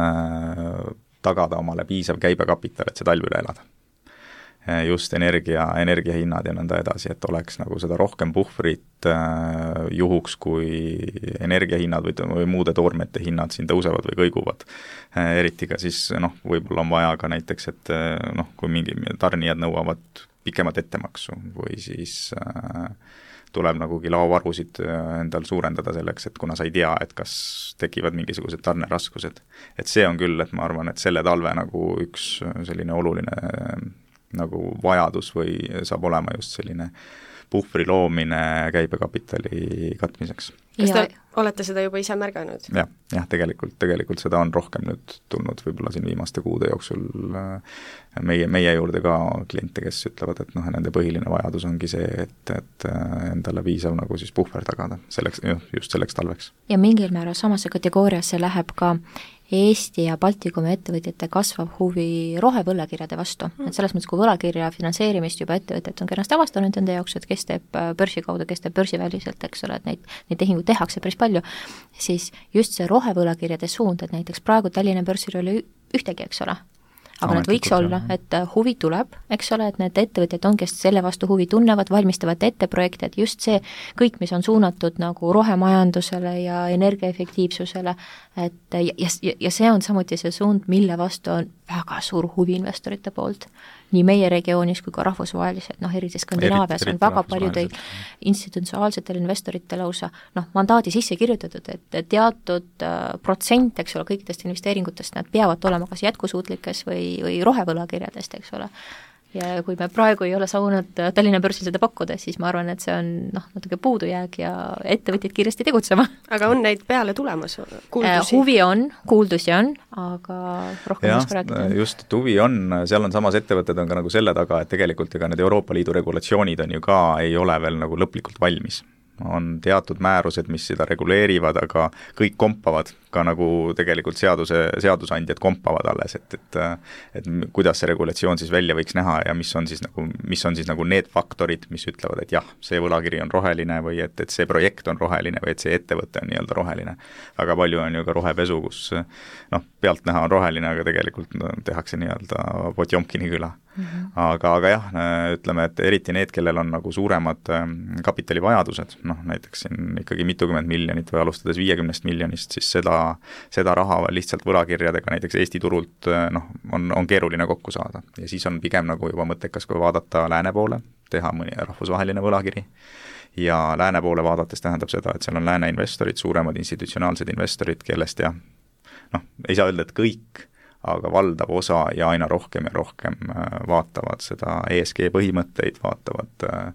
D: tagada omale piisav käibekapital, et see talv üle elada. Just energiahinnad ja nõnda edasi, et oleks nagu seda rohkem puhvrit juhuks, kui energiahinnad või muude toormete hinnad siin tõusevad või kõiguvad. Eriti ka siis võib-olla on vaja ka näiteks, et kui mingi tarnijad nõuavad pikemat ettemaksu või siis tuleb nagugi laovarusid endal suurendada selleks, et kuna sa ei tea, et kas tekivad mingisugused tarneraskused. Et see on küll, et ma arvan, et selle talve nagu üks selline oluline nagu vajadus või saab olema just selline puhvri loomine käibekapitali katmiseks.
B: Kas te olete seda juba ise märganud?
D: Jah, tegelikult seda on rohkem nüüd tulnud võib-olla siin viimaste kuude jooksul meie juurde ka kliente, kes ütlevad, et nende põhiline vajadus ongi see, et endale piisav nagu siis puhver tagada just selleks talveks.
C: Ja mingil määral samasse kategooriasse läheb ka Eesti ja Baltikumi ettevõtjate kasvav huvi rohevõlakirjade vastu. Et selles mõttes, kui võlakirja finantseerimist juba ettevõtjad on kenasti avastanud enda jaoks, et kes teeb börsi kaudu, kes teeb börsiväliselt, eks ole, et neid tehinguid tehakse päris palju, siis just see rohevõlakirjade suund, et näiteks praegu Tallinna börsil ei ole ühtegi, eks ole, aga need võiks olla, et huvi tuleb, eks ole, et need ettevõtjad on, kes selle vastu huvi tunnevad, valmistavad ette projekte, et just see kõik, mis on suunatud nagu rohemajandusele ja energiaefektiivsusele, et ja see on samuti see suund, mille vastu on väga suur huvi investorite poolt. Nii meie regioonis kui ka rahvusvaheliselt, eriti Skandinaavias on väga paljudel institutsionaalsetel investoritel lausa mandaadi sisse kirjutatud, et teatud protsent, eks ole, kõikidest investeeringutest nad peavad olema kas jätkusuutlikes või rohevõlakirjadest, eks ole. Ja kui me praegu ei ole saanud Tallinna börsil seda pakkuda, siis ma arvan, et see on natuke puudujääg ja ettevõtjad kiiresti tegutsema.
B: Aga on neid peale tulemas kuuldusi?
C: Huvi on, kuuldusi on, aga rohkem oska rääkida.
D: Just, et huvi on, seal on samas ettevõtted on ka nagu selle taga, et tegelikult ega need Euroopa Liidu regulatsioonid on ju ka, ei ole veel nagu lõplikult valmis. On teatud määrused, mis seda reguleerivad, aga kõik kompavad, ka nagu tegelikult seadusandjad kompavad alles, et kuidas see regulatsioon siis välja võiks näha ja mis on siis nagu need faktorid, mis ütlevad, et jah, see võlakiri on roheline või et see projekt on roheline või et see ettevõte on nii-öelda roheline. Väga palju on ju ka rohepesu, kus pealt näha on roheline, aga tegelikult tehakse nii-öelda Potjomkini küla. Aga jah, ütleme, et eriti need, kellel on nagu suuremad kapitalivajadused, näiteks siin ikkagi mitukümmend miljonit või alustades 50 miljonist, siis seda raha lihtsalt võlakirjadega näiteks Eesti turult on keeruline kokku saada. Ja siis on pigem nagu juba mõttekas, kui vaadata lääne poole, teha mõni rahvusvaheline võlakiri. Ja lääne poole vaadates tähendab seda, et seal on lääne investorid, suuremad institutsionaalsed investorid, kellest ei saa öelda, et kõik, aga valdav osa ja aina rohkem vaatavad seda ESG põhimõtteid, vaatavad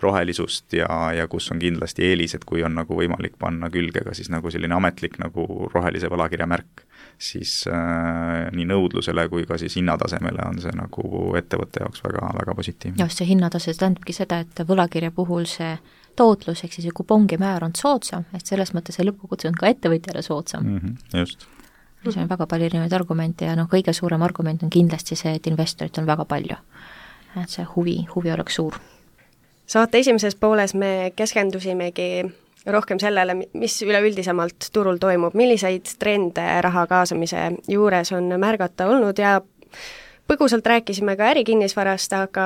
D: rohelisust ja kus on kindlasti eelised, kui on nagu võimalik panna külge ka siis nagu selline ametlik nagu rohelise võlakirja märk, siis nii nõudlusele kui ka siis hinnatasemele on see nagu ettevõtte jaoks väga, väga positiivne.
C: Just see hinnatase tähendabki seda, et võlakirja puhul see tootlus, ehk siis kupongi määr on soodsam, et selles mõttes see lõppkokkuvõttes on ka ettevõtjale soodsam.
D: Just.
C: See on väga palju erinevaid argumente ja kõige suurem argument on kindlasti see, et investorit on väga palju. Et see huvi oleks suur.
B: Saate esimeses pooles me keskendusimegi rohkem sellele, mis üleüldisemalt turul toimub, milliseid trende raha kaasamise juures on märgata olnud ja põgusalt rääkisime ka ärikinnisvarast, aga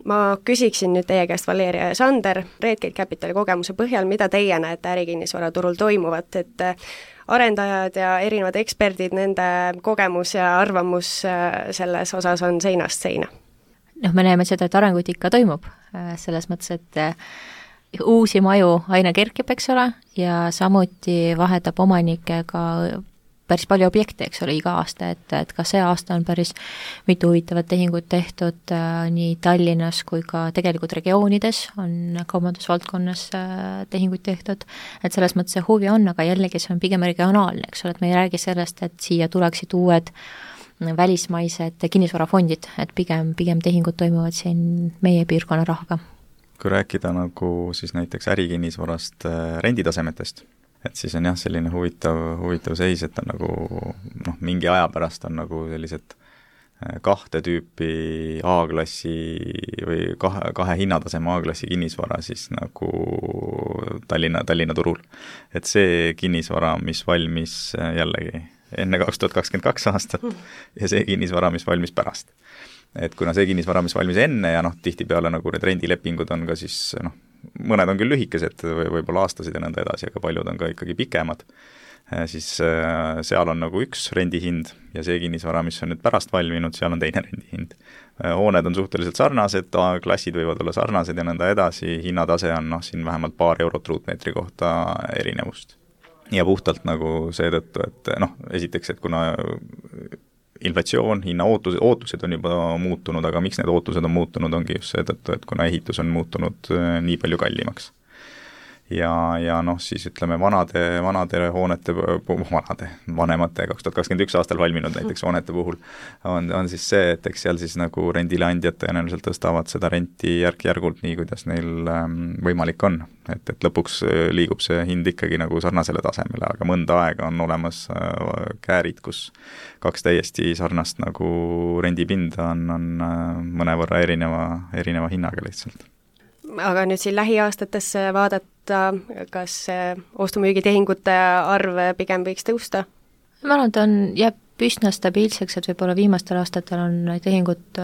B: ma küsiksin nüüd teie käest, Valeria ja Sander, Redgate Capitali kogemuse põhjal, mida teie näete ärikinnisvara turul toimuvat, et arendajad ja erinevad eksperdid, nende kogemus ja arvamus selles osas on seinast seina?
C: Me näeme seda, et arenguid ikka toimub, selles mõttes, et uusi maju aina kerkib, eks ole, ja samuti vahetab omanikega päris palju objekte, eks ole, iga aasta, et ka see aasta on päris mitu huvitavat tehingut tehtud nii Tallinnas kui ka tegelikult regioonides on kaubandusvaldkonnas tehinguid tehtud, et selles mõttes see huvi on, aga jällegi see on pigem regionaalne, eks ole, et me ei räägi sellest, et siia tuleksid uued välismaised kinnisvarafondid, et pigem tehingud toimuvad siin meie piirkonna rahaga.
D: Kui rääkida nagu siis näiteks ärikinnisvarast renditasemetest, et siis on jah, selline huvitav seis, et on nagu mingi aja pärast on nagu sellised kahte tüüpi A-klassi või kahe hinnataseme A-klassi kinnisvara siis nagu Tallinna turul. Et see kinnisvara, mis valmis jällegi enne 2022 aastat ja see kinnisvara, mis valmis pärast. Et kuna see kinnisvara, mis valmis enne ja tihtipeale nagu need rendilepingud on ka siis mõned on küll lühikesed või võib-olla aastased ja nõnda edasi, aga paljud on ka ikkagi pikemad, siis seal on nagu üks rendihind ja see kinnisvara, mis on nüüd pärast valminud, seal on teine rendihind. Hooned on suhteliselt sarnased, klassid võivad olla sarnased ja nõnda edasi, hinnatase on siin vähemalt paar eurot ruutmeetri kohta erinevust. Ja puhtalt nagu seetõttu, et esiteks, et kuna inflatsioon, hinna ootused on juba muutunud, aga miks need ootused on muutunud, ongi just seetõttu, et kuna ehitus on muutunud nii palju kallimaks. Ja siis ütleme vanade hoonete, vanemate 2021 aastal valminud näiteks hoonete puhul on siis see, et eks seal siis nagu rendileandjad tõenäoliselt tõstavad seda renti järk-järgult nii, kuidas neil võimalik on. Et lõpuks liigub see hind ikkagi nagu sarnasele tasemele, aga mõnda aega on olemas käärid, kus kaks täiesti sarnast nagu rendipinda on mõnevõrra erineva hinnaga lihtsalt.
B: Aga nüüd siin lähiaastatesse vaadata, kas ostu-müügitehingute arv pigem võiks tõusta?
C: Ma arvan, et jääb üsna stabiilseks, et võib-olla viimastel aastatel on tehingud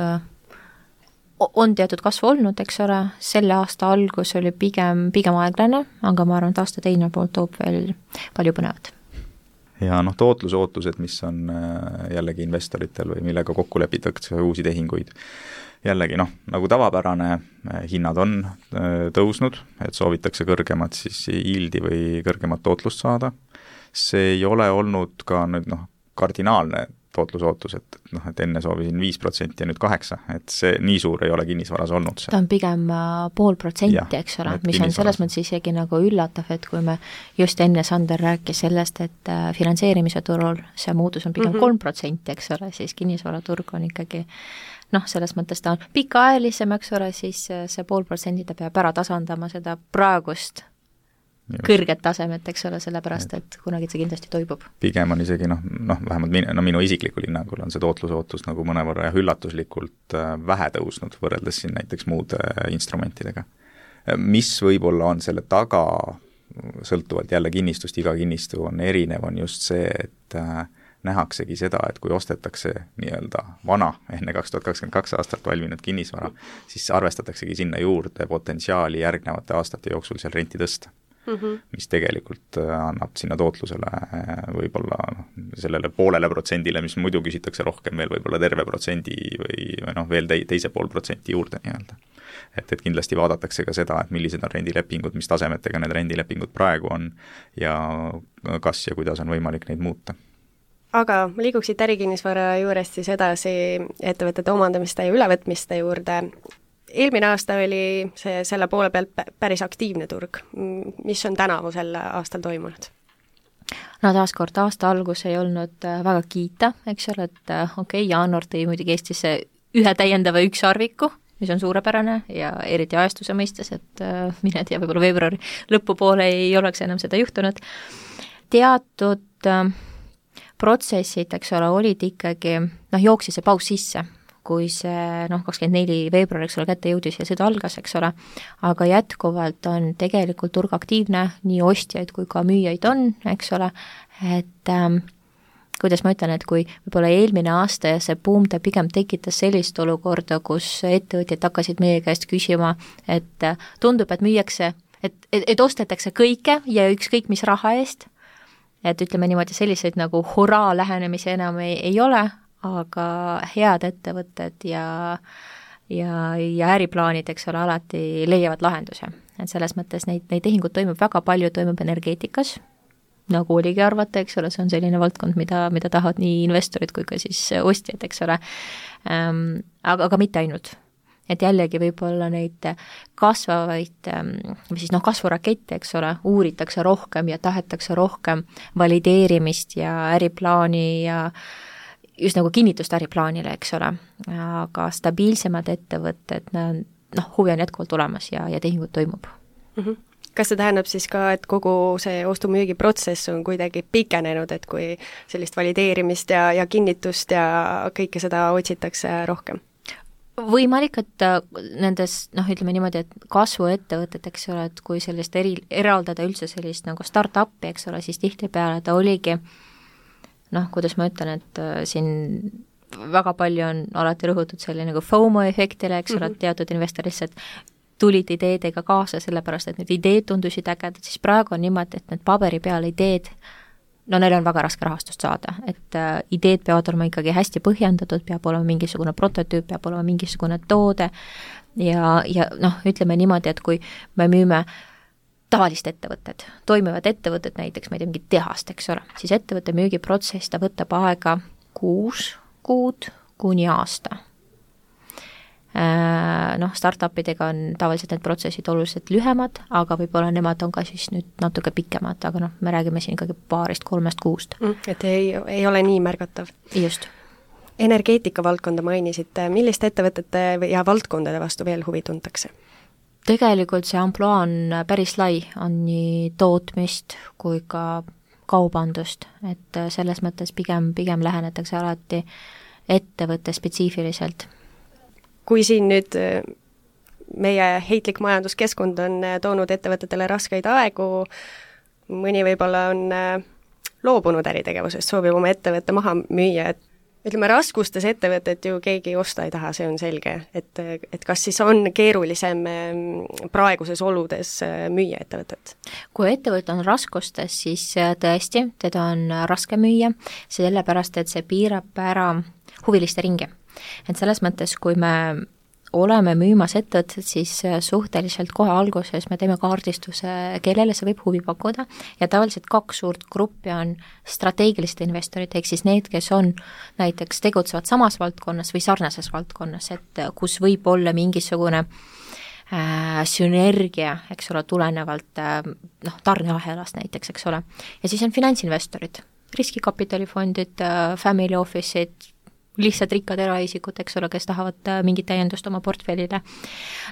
C: on teatud kasvu olnud, eks ole, selle aasta algus oli pigem aeglane, aga ma arvan, et aasta teine pool toob veel palju põnevat.
D: Ja tootlusootused, mis on jällegi investoritel või millega kokku lepitakse uusi tehinguid, jällegi nagu tavapärane hinnad on tõusnud, et soovitakse kõrgemat siis yieldi või kõrgemat tootlust saada. See ei ole olnud ka nüüd kardinaalne tootlusootus, et enne soovisin 5% ja nüüd 8%, et see nii suur ei ole kinnisvaras olnud.
C: Ta on pigem 0,5%, eks ole, mis on selles mõttes isegi nagu üllatav, et kui me just enne Sander rääkis sellest, et finantseerimise turul see muutus on pigem 3%, eks ole, siis kinnisvaraturg on ikkagi selles mõttes ta on pikaajalisem, eks ole, siis see 0,5% ta peab ära tasandama seda praegust kõrget tasemet, eks ole, sellepärast, et kunagi see kindlasti toibub.
D: Pigem on isegi, vähemalt minu isiklikul hinnangul on see tootlusootus nagu mõnevõrra ja üllatuslikult vähe tõusnud võrreldes siin näiteks muude instrumentidega. Mis võib-olla on selle taga, sõltuvalt jälle kinnistust, iga kinnistu on erinev, on just see, et nähaksegi seda, et kui ostetakse nii-öelda vana, enne 2022 aastat valminud kinnisvara, siis arvestataksegi sinna juurde potentsiaali järgnevate aastate jooksul seal renti tõsta. Mis tegelikult annab sinna tootlusele võib-olla sellele 0,5%, mis muidu küsitakse rohkem veel võib-olla terve protsendi või veel teise 0,5% juurde nii-öelda. Et kindlasti vaadatakse ka seda, et millised on rendilepingud, mis tasemetega need rendilepingud praegu on ja kas ja kuidas on võimalik neid muuta.
B: Aga liiguksid ärikinnisvara juurest siis edasi ettevõtete omandamiste ja ülevõtmiste juurde. Eelmine aasta oli selle poole pealt päris aktiivne turg. Mis on tänavusel aastal toimunud?
C: Taaskord aasta algus ei olnud väga kiita, eks ole, et jaanuar tõi muidugi Eestisse ühe täiendava ükssarviku, mis on suurepärane ja eriti ajastuse mõistes, et mine tea, võib-olla veebruari lõpupoole ei oleks enam seda juhtunud. Teatud protsessid, eks ole, olid ikkagi, jooksis see paus sisse, kui see 24 veebruar, eks ole, kätte jõudis ja sõda algas, eks ole, aga jätkuvalt on tegelikult turg aktiivne, nii ostjaid kui ka müüjaid on, eks ole, et kuidas ma ütlen, et kui võib-olla eelmine aasta ja see buum ta pigem tekitas sellist olukorda, kus ettevõtjad hakkasid meie käest küsima, et tundub, et müüakse, et ostetakse kõike ja ükskõik mis raha eest, et ütleme niimoodi selliseid nagu horaa lähenemisi enam ei ole, aga head ettevõtted ja äriplaanid, eks ole, alati leiavad lahenduse. Et selles mõttes neid tehingud toimub väga palju, toimub energeetikas, nagu oligi arvata, eks ole, see on selline valdkond, mida tahavad nii investorid kui ka siis ostjad, eks ole, aga mitte ainult. Et jällegi võib-olla neid kasvavaid, või siis kasvurakette, eks ole, uuritakse rohkem ja tahetakse rohkem valideerimist ja äriplaani ja just nagu kinnitust äriplaanile, eks ole, aga stabiilsemad ettevõtted, huvi on jätkuvalt olemas ja tehingud toimub.
B: Kas see tähendab siis ka, et kogu see ostu-müügi protsess on kuidagi pikenenud, et kui sellist valideerimist ja kinnitust ja kõike seda otsitakse rohkem?
C: Võimalik, et nendes, ütleme niimoodi, et kasvuettevõtted, eks ole, et kui sellist eraldada üldse sellist nagu start-up'i, eks ole, siis tihtipeale ta oligi kuidas ma ütlen, et siin väga palju on alati rõhutud selline nagu FOMO efektile, eks ole, et teatud investor lihtsalt tulid ideedega kaasa, sellepärast et need ideed tundusid ägedad, siis praegu on niimoodi, et need paberi peal ideed, neil on väga raske rahastust saada, et ideed peavad olema ikkagi hästi põhjendatud, peab olema mingisugune prototüüp, peab olema mingisugune toode ja ütleme niimoodi, et kui me müüme tavalist ettevõtted, toimivad ettevõtted, näiteks ma ei tea, mingit tehast, eks ole, siis ettevõtte müügiprotsess, ta võtab aega 6 kuud kuni aasta. Startupidega on tavaliselt need protsessid oluliselt lühemad, aga võib-olla nemad on ka siis nüüd natuke pikemad, aga me räägime siin ikkagi 2-3 kuust.
B: Et ei ole nii märgatav.
C: Just.
B: Energeetika valdkonda mainisite, milliste ettevõtete ja valdkondade vastu veel huvi tuntakse?
C: Tegelikult see amploa on päris lai, on nii tootmist kui ka kaubandust, et selles mõttes pigem lähenetakse alati ettevõtte spetsiifiliselt.
B: Kui siin nüüd meie heitlik majanduskeskkond on toonud ettevõtetele raskeid aegu, mõni võib-olla on loobunud äritegevusest, soovib oma ettevõtte maha müüa, et ütleme, raskustes ettevõtet ju keegi osta ei taha, see on selge, et kas siis on keerulisem praeguses oludes müüa ettevõtet?
C: Kui ettevõte on raskustes, siis tõesti, teda on raske müüa, sellepärast, et see piirab ära huviliste ringi. Et selles mõttes, kui me oleme müümas ettevõtted, siis suhteliselt kohe alguses me teeme kaardistuse, kellele see võib huvi pakkuda ja tavaliselt 2 suurt gruppi on strateegilised investorid, ehk siis need, kes on näiteks tegutsevad samas valdkonnas või sarnases valdkonnas, et kus võib olla mingisugune sünergia, eks ole, tulenevalt tarneahelast näiteks, eks ole. Ja siis on finantsinvestorid, riskikapitalifondid, family office'id, lihtsalt rikkad eraisikud, eks ole, kes tahavad mingit täiendust oma portfellile.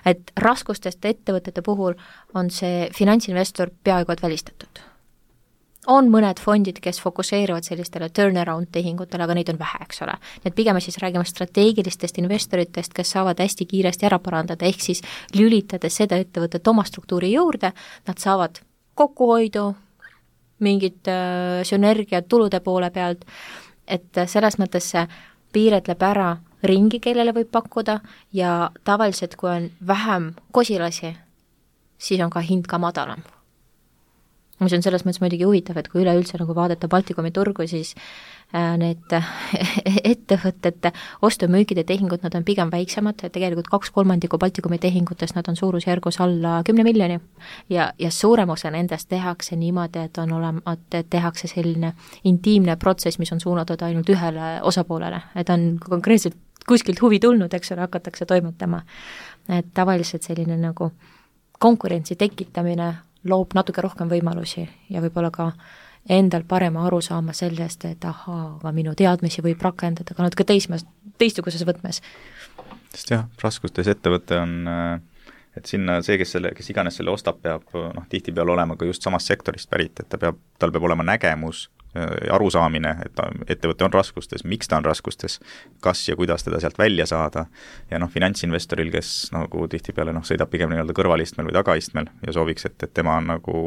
C: Et raskustest ettevõtete puhul on see finantsinvestor peaaegu et välistatud. On mõned fondid, kes fokuseerivad sellistele turnaround tehingutele, aga neid on vähe, eks ole. Need pigem siis räägime strateegilistest investoritest, kes saavad hästi kiiresti ära parandada, ehk siis lülitades seda ettevõtet oma struktuuri juurde, nad saavad kokkuhoidu, mingit sünergiat tulude poole pealt, et selles mõttes see piiretleb ära ringi, kellele võib pakkuda ja tavaliselt, kui on vähem kosilasi, siis on ka hind ka madalam. Mis on selles mõttes muidugi huvitav, et kui üleüldse nagu vaadata Baltikumi turgu, siis need ettevõtete ostu-müügide tehingud, nad on pigem väiksemad, tegelikult 2/3 Baltikumi tehingutest, nad on suurusjärgus alla 10 miljoni ja suurem osa nendest tehakse niimoodi, et tehakse selline intiimne protsess, mis on suunatud ainult ühele osapoolele, et on konkreetselt kuskilt huvi tulnud, eks ole, hakatakse toimetama. Et tavaliselt selline nagu konkurentsi tekitamine loob natuke rohkem võimalusi ja võib-olla ka endal parema aru saama sellest, et aga minu teadmisi võib rakendada ka natuke teistsuguses võtmes.
D: Sest jah, raskustes ettevõte on, et sinna see, kes iganes selle ostab, peab tihtipeale olema ka just samast sektorist pärit, et tal peab olema nägemus, arusaamine, et ettevõte on raskustes, miks ta on raskustes, kas ja kuidas teda sealt välja saada ja finantsinvestoril, kes nagu tihtipeale sõidab pigem nii-öelda kõrvalistmel või tagaistmel ja sooviks, et tema on nagu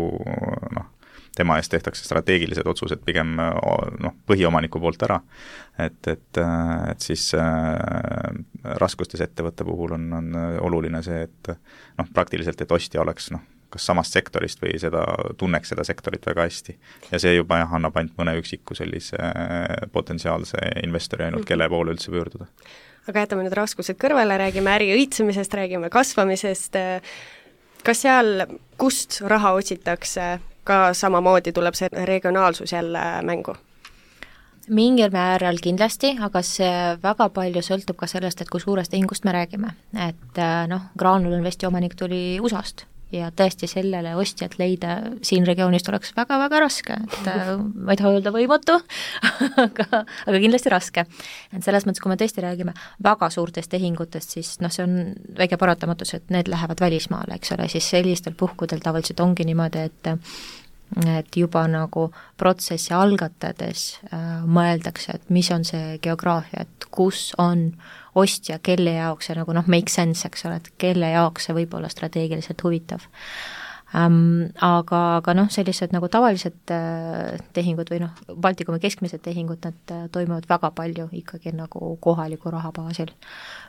D: tema eest tehtakse strateegilised otsused pigem põhiomaniku poolt ära, et siis raskustes ettevõtte puhul on oluline see, et praktiliselt, et ostja oleks kas samast sektorist või tunneks seda sektorit väga hästi. Ja see juba annab ainult mõne üksiku sellise potentsiaalse investori ainult, kelle poole üldse pöörduda.
B: Aga jätame nüüd raskused kõrvale, räägime äri õitsemisest, räägime kasvamisest. Kas seal, kust raha otsitakse, ka samamoodi tuleb see regionaalsus jälle mängu?
C: Mingil määral kindlasti, aga see väga palju sõltub ka sellest, et kui suurest tehingust me räägime. Et Graanul Investi omanik tuli USA-st ja tõesti sellele ostjat leida siin regioonis oleks väga-väga raske, et ma ei taha öelda võimatu, aga kindlasti raske. Et selles mõttes, kui me tõesti räägime väga suurtest tehingutest, siis see on väike paratamatus, et need lähevad välismaale, eks ole, siis sellistel puhkudel tavaliselt ongi niimoodi, et juba nagu protsessi algatades mõeldakse, et mis on see geograafia, et kus on ostja, kelle jaoks see nagu make sense, eks ole, et kelle jaoks see võib olla strateegiliselt huvitav. Aga sellised nagu tavalised tehingud või Baltikumi keskmised tehingud, nad toimuvad väga palju ikkagi nagu kohaliku raha baasil.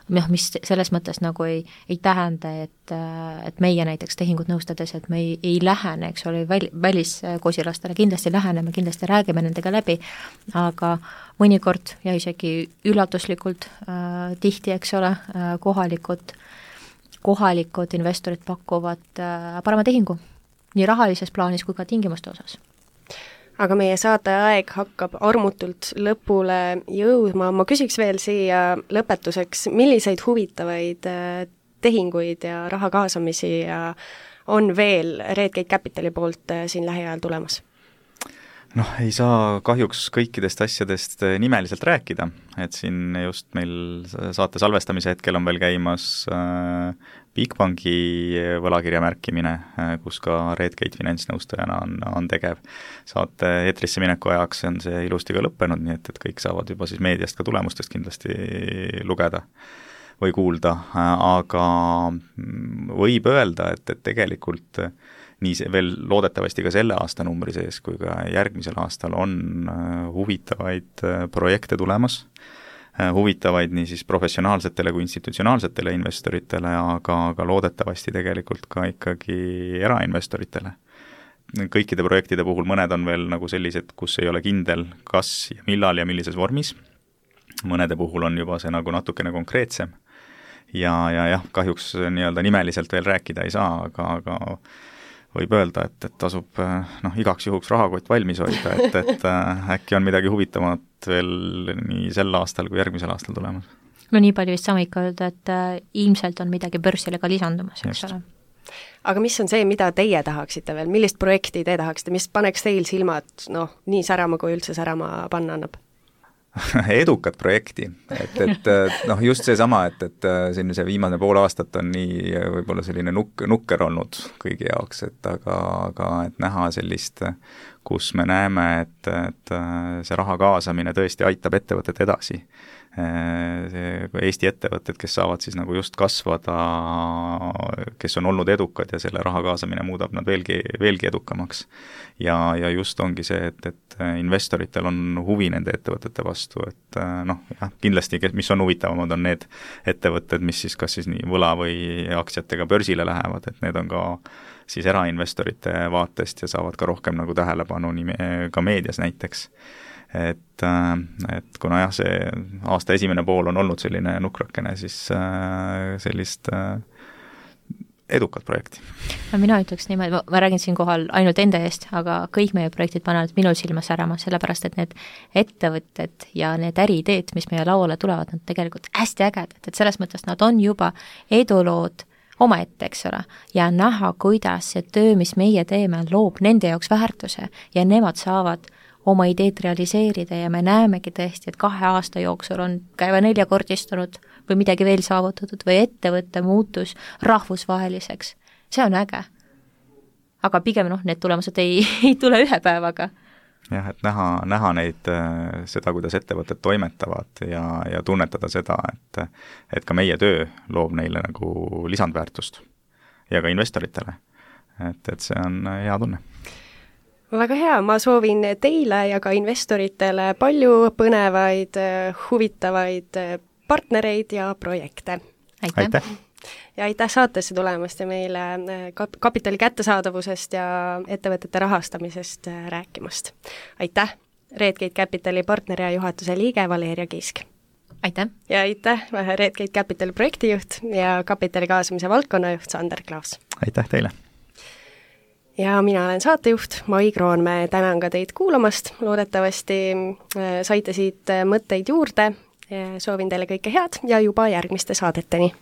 C: Mis selles mõttes nagu ei tähenda, et meie näiteks tehingut nõustades, et me ei lähene, eks ole, väliskosilastele kindlasti läheneme, kindlasti räägime nendega läbi, aga mõnikord ja isegi üllatuslikult tihti, eks ole, kohalikud investorid pakuvad parema tehingu, nii rahalises plaanis kui ka tingimuste osas.
B: Aga meie saate aeg hakkab armutult lõpule jõudma. Ma küsiks veel siia lõpetuseks, milliseid huvitavaid tehinguid ja raha kaasamisi on veel Redgate Capitali poolt siin lähiajal tulemas?
D: Ei saa kahjuks kõikidest asjadest nimeliselt rääkida, et siin just meil saate salvestamise hetkel on veel käimas Bigbanki võlakirja märkimine, kus ka Redgate finantsnõustajana on tegev. Saate eetrisse mineku ajaks on see ilusti ka lõppenud, nii et kõik saavad juba siis meediast ka tulemustest kindlasti lugeda või kuulda, aga võib öelda, et tegelikult nii veel loodetavasti ka selle aasta numbri sees kui ka järgmisel aastal on huvitavaid projekte tulemas, huvitavaid nii siis professionaalsetele kui institutsionaalsetele investoritele, aga loodetavasti tegelikult ka ikkagi erainvestoritele. Kõikide projektide puhul mõned on veel nagu sellised, kus ei ole kindel, kas ja millal ja millises vormis. Mõnede puhul on juba see nagu natukene konkreetsem ja kahjuks nii-öelda nimeliselt veel rääkida ei saa, aga võib öelda, et tasub igaks juhuks rahakott valmis hoida, et äkki on midagi huvitavat veel nii sel aastal kui järgmisel aastal tulemas.
C: Nii palju vist saame ikka öelda, et ilmselt on midagi börsile ka lisandumas, eks ole.
B: Aga mis on see, mida teie tahaksite veel, millist projekti te tahaksite, mis paneks teil silmad nii särama, kui üldse särama panna annab?
D: Edukat projekti, et just seesama, et siin see viimane pool aastat on nii võib-olla selline nukker olnud kõigi jaoks, aga et näha sellist, kus me näeme, et see raha kaasamine tõesti aitab ettevõtet edasi. Eesti ettevõtted, kes saavad siis nagu just kasvada, kes on olnud edukad ja selle raha kaasamine muudab nad veelgi edukamaks. Ja just ongi see, et investoritel on huvi nende ettevõtete vastu, et kindlasti, mis on huvitavamad, on need ettevõtted, mis siis kas siis nii võla või aktsiatega börsile lähevad, et need on ka siis erainvestorite vaatest ja saavad ka rohkem nagu tähelepanu ka meedias näiteks. Et kuna see aasta esimene pool on olnud selline nukrakene, siis sellist edukat projekti.
C: Mina ütleks niimoodi, ma räägin siin kohal ainult enda eest, aga kõik meie projektid panevad minul silma särama, sellepärast et need ettevõtted ja need äriideed, mis meie lauale tulevad, nad tegelikult hästi ägedad, et selles mõttes nad on juba edulood omaette, eks ole, ja näha, kuidas see töö, mis meie teeme, loob nende jaoks väärtuse ja nemad saavad oma ideed realiseerida ja me näemegi tõesti, et 2 aasta jooksul on käiva 4-kordistunud või midagi veel saavutatud või ettevõtte muutus rahvusvaheliseks. See on äge. Aga pigem need tulemused ei tule 1 päevaga.
D: Jah, et näha neid, seda, kuidas ettevõtted toimetavad ja tunnetada seda, et ka meie töö loob neile nagu lisandväärtust ja ka investoritele. Et see on hea tunne.
B: Väga hea, ma soovin teile ja ka investoritele palju põnevaid, huvitavaid partnereid ja projekte.
D: Aitäh!
B: Ja aitäh saatesse tulemast ja meile kapitali kättesaadavusest ja ettevõtete rahastamisest rääkimast. Aitäh, Redgate Capitali partner ja juhatuse liige Valeria Kiisk.
C: Aitäh!
B: Ja aitäh, Redgate Capitali projektijuht ja kapitali kaasamise valdkonnajuht Sander Klaas.
D: Aitäh teile!
B: Ja mina olen saatejuht Mai Kroonmäe, tänan ka teid kuulamast, loodetavasti saite siit mõtteid juurde, soovin teile kõike head ja juba järgmiste saadeteni!